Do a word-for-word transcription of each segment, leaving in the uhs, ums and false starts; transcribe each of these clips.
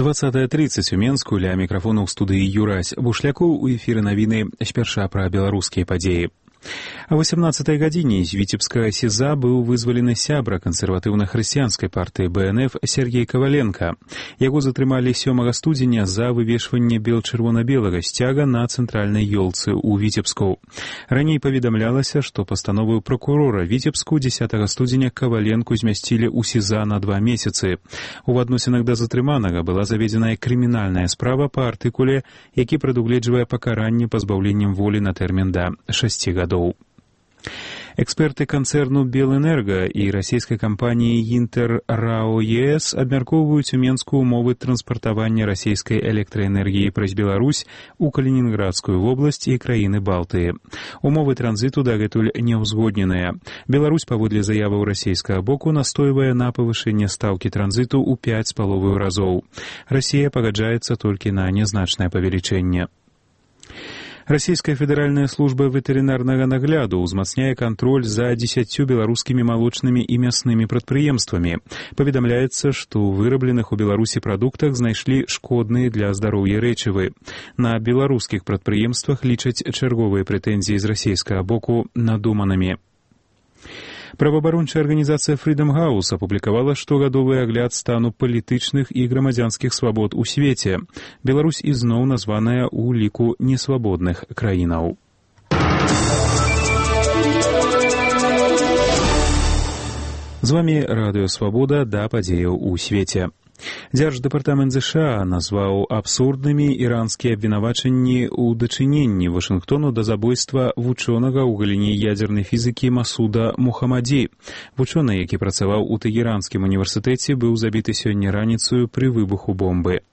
двадцатая тридцать у Менску, ля мікрафону ў студыі Юрась Бушлякоў, у эфіры навіны спярша пра беларускія падзеі. А восемнадцатай гадзіне з віцебскага СІЗА быў вызвалены сябра кансерватыўна-хрысціянскай партыі Бэ Эн Эф Сергей Каваленка. Яго затрымалі сёмага студзеня за вывешванне бел-чырвона-белага сцяга на цэнтральнай ёлцы ў Віцебску. Раней паведамлялася, што пастановаю пракурора Віцебску дзесятага студзеня Каваленку змясцілі ў СІЗА на два месяцы. У адносінах да затрыманага была заведзеная крымінальная справа па артыкуле, які прадугледжвае пакаранне пазбаўленнем волі на тэрмін да шасці гадоў. Эксперты канцэрну «Белэнерга» і расійскай кампаніі «Інтэр РАО ЕС» абмяркоўваюць у Менску умовы транспартавання расійскай электраэнергіі праз Беларусь у Калінінградскую вобласць і краіны Балтыі. Умовы транзіту дагэтуль не ўзгодненыя. Беларусь, паводле заяваў расійскага боку, настойвае на павышэнне стаўкі транзіту ў пяць з паловаю разоў. Расія пагаджаецца толькі на нязначнае павелічэнне. Расійская федэральная служба ветэрынарнага нагляду ўзмацняе кантроль за дзесяццю беларускімі малочнымі і мяснымі прадпрыемствамі. Паведамляецца, што ў вырабленых у Беларусі прадуктах знайшлі шкодныя для здароўя рэчывы. На беларускіх прадпрыемствах лічаць чарговыя прэтэнзіі з расійскага боку надуманымі. Праваабарончая арганізацыя Freedom House апублікавала штогадовы агляд стану палітычных і грамадзянскіх свабод у свеце. Беларусь ізноў названая ў ліку несвабодных краінаў. З вамі Радыё Свабода, да падзеяў у свеце. Дзярждэпартамент ЗША назваў абсурднымі іранскія абвінавачанні ў дачыненні Вашынгтону да забойства вучонага ў галіне ядзернай фізікі Масуда Мухаммаді. Вучоны, які працаваў у Тэгеранскім універсітэце, быў забіты сёння раніцаю пры выбуху бомбы.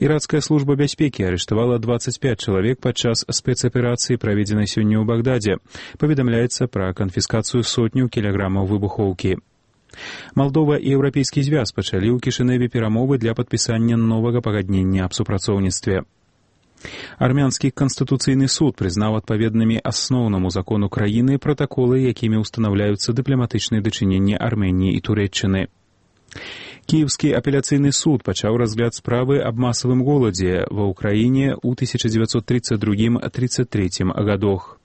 Іракская служба бяспекі арыштавала дваццаць пяць чалавек падчас спецаперацыі, праведзенай сёння ў Багдадзе. Паведамляецца пра канфіскацыю сотняў кілаграмаў выбухоўкі. Малдова і Еўрапейскі звяз пачалі ў Кішыневе перамовы для падпісання новага пагаднення аб супрацоўніцтве. Армянскі канстытуцыйны суд прызнаў адпаведнымі асноўнаму закону краіны пратаколы, якімі ўстанаўляюцца дыпламатычныя дачыненні Арменіі і Турэччыны. Кіеўскі апеляцыйны суд пачаў разгляд справы аб масавым голадзе ва ўкраіне ў тысяча дзевяцьсот тридцать другім — тридцать трэцім гадах.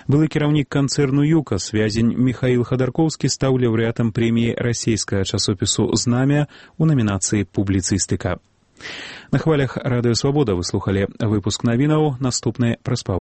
Былы кіраўнік канцэрну «Юкас» вязень Міхаіл Хадаркоўскі стаў лаўрэатам прэміі расійскага часопісу «Знамя» у намінацыі «Публіцыстыка». На хвалях Радыё Свабода вы слухалі выпуск навінаў, наступны праз паўгадзіны.